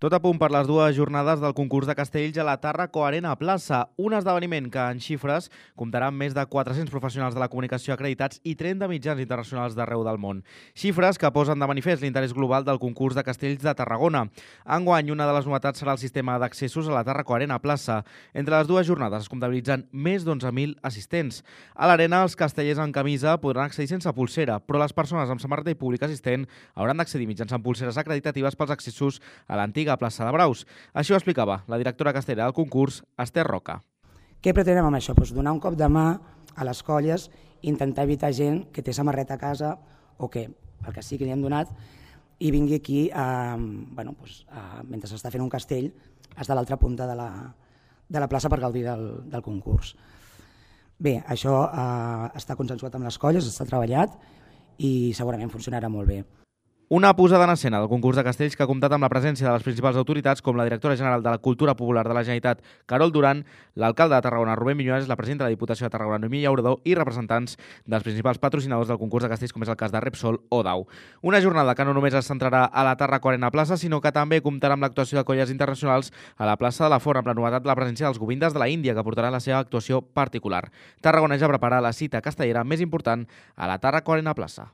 Tot a punt per les dues jornades del concurs de castells a la Tàrraco Arena Plaça, un esdeveniment que en xifres comptarà amb més de 400 professionals de la comunicació acreditats i 30 mitjans internacionals d'arreu del món. Xifres que posen de manifest l'interès global del concurs de castells de Tarragona. Enguany, una de les novetats serà el sistema d'accessos a la Tàrraco Arena Plaça. Entre les dues jornades es comptabilitzen més d'11.000 assistents. A l'arena, els castellers en camisa podran accedir sense pulsera, però les persones amb samarreta i públic assistent hauran d'accedir mitjançant pulseres acreditatives pels accessos a l'antiga plaça de Braus. Així ho explicava la directora castellera del concurs, Esther Roca. Què pretenem amb això? Donar un cop de mà a les colles, intentar evitar gent que té samarreta a casa o que, el que sí que li hem donat, i vingui aquí, mentre s'està fent un castell, fins a l'altra punta de la plaça per gaudir del concurs. Bé, això està consensuat amb les colles, està treballat i segurament funcionarà molt bé. Una posada en escena del concurs de castells que ha comptat amb la presència de les principals autoritats com la directora general de la Cultura Popular de la Generalitat, Carol Duran, l'alcalde de Tarragona, Rubén Viñuales, la presidenta de la Diputació de Tarragona, Noemí Llaurador, i representants dels principals patrocinadors del concurs de castells, com és el cas de Repsol o DAU. Una jornada que no només es centrarà a la Tàrraco Arena Plaça, sinó que també comptarà amb l'actuació de colles internacionals a la plaça de la Font, amb la novetat de la presència dels govindes de la Índia, que portaran la seva actuació particular. Tarragona ja prepara la cita castellera més important a la Tàrraco Arena Plaça.